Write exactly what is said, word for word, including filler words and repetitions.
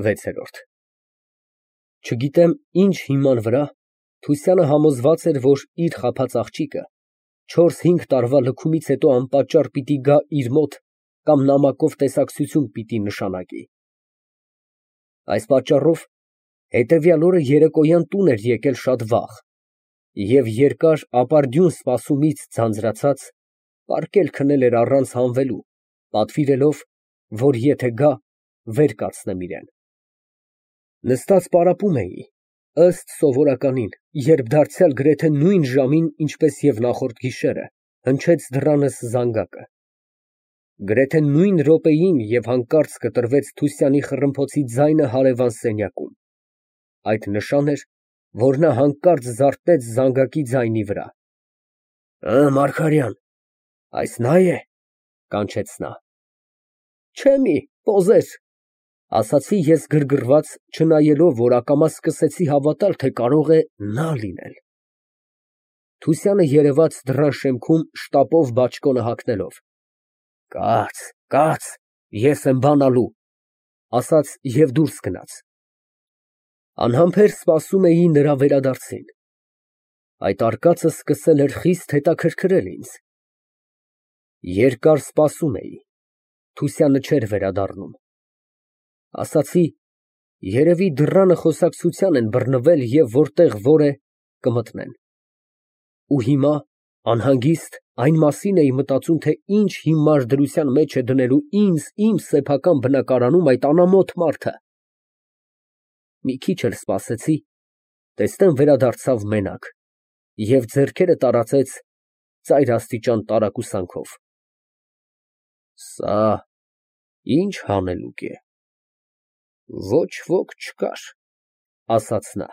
վեցերորդ Չգիտեմ ինչ հիման վրա, Թուսյանը համոզված էր, որ իր խաբած աղջիկը չորս֊հինգ տարվա լքումից հետո անպատճառ պիտի գա իր մոտ կամ նամակով տեսակցություն պիտի նշանակի։ Այս պատճառով հետևյալ օրը երեկոյան տուն էր եկել շատ վաղ և երկար ապարդյուն սպասումից ձանձրացած, պառկել քնել էր առանց հանվելու, պատվիրելով, որ եթե գա, վեր կացնեմ իրան։ Նստած պարապում էի, ըստ սովորականին, երբ դարձյալ գրեթե նույն ժամին, ինչպես և նախորդ գիշերը, հնչեց դռանս զանգակը։ Գրեթե նույն րոպեին և հանկարծ կտրվեց Թուսյանի խռմփոցի ձայնը հարևան սենյակում, այդ նշան էր, որ նա հանկարծ զարթնեց զանգակի ձայնի վրա։ Մարգարյան, այս նա է, կանչեց նա։ Չէ մի, պոզեր, ասացի ես գրգռված, չնայելով, որ ակամա սկսեցի հավատալ, թե կարող է նա լինել։ Թուսյանը երևաց դռան շեմքում շտապով բաճկոնը հագնելով։ Կաց, կաց, ես եմ բանալու, ասաց և դուրս գնաց։ Անհամբեր սպասում էի նրա վերադարձին։ Այդ արկածը սկսել էր խիստ հետաքրքրել ինձ։ Երկար սպասում էի, Թուսյանը չէր վերադառնում։ Ասացի, երևի դռանը խոսակցության են բռնվել և որտեղ որ է, կմտնեն։ Ու հիմա, անհանգիստ, այն մասին էի մտածում, թե ինչ հիմար դրության մեջ է դնելու ինձ իմ սեփական բնակարանում այդ անամոթ մարդը։ Մի քիչ էլ սպասեցի, տեսնեմ վերադարձավ մենակ և ձեռքերը տարածեց ծայրաստիճան տարակուսանքով։ Սա ի՞նչ հանելուկ է։ Ոչ ոք չկար, ասաց նա։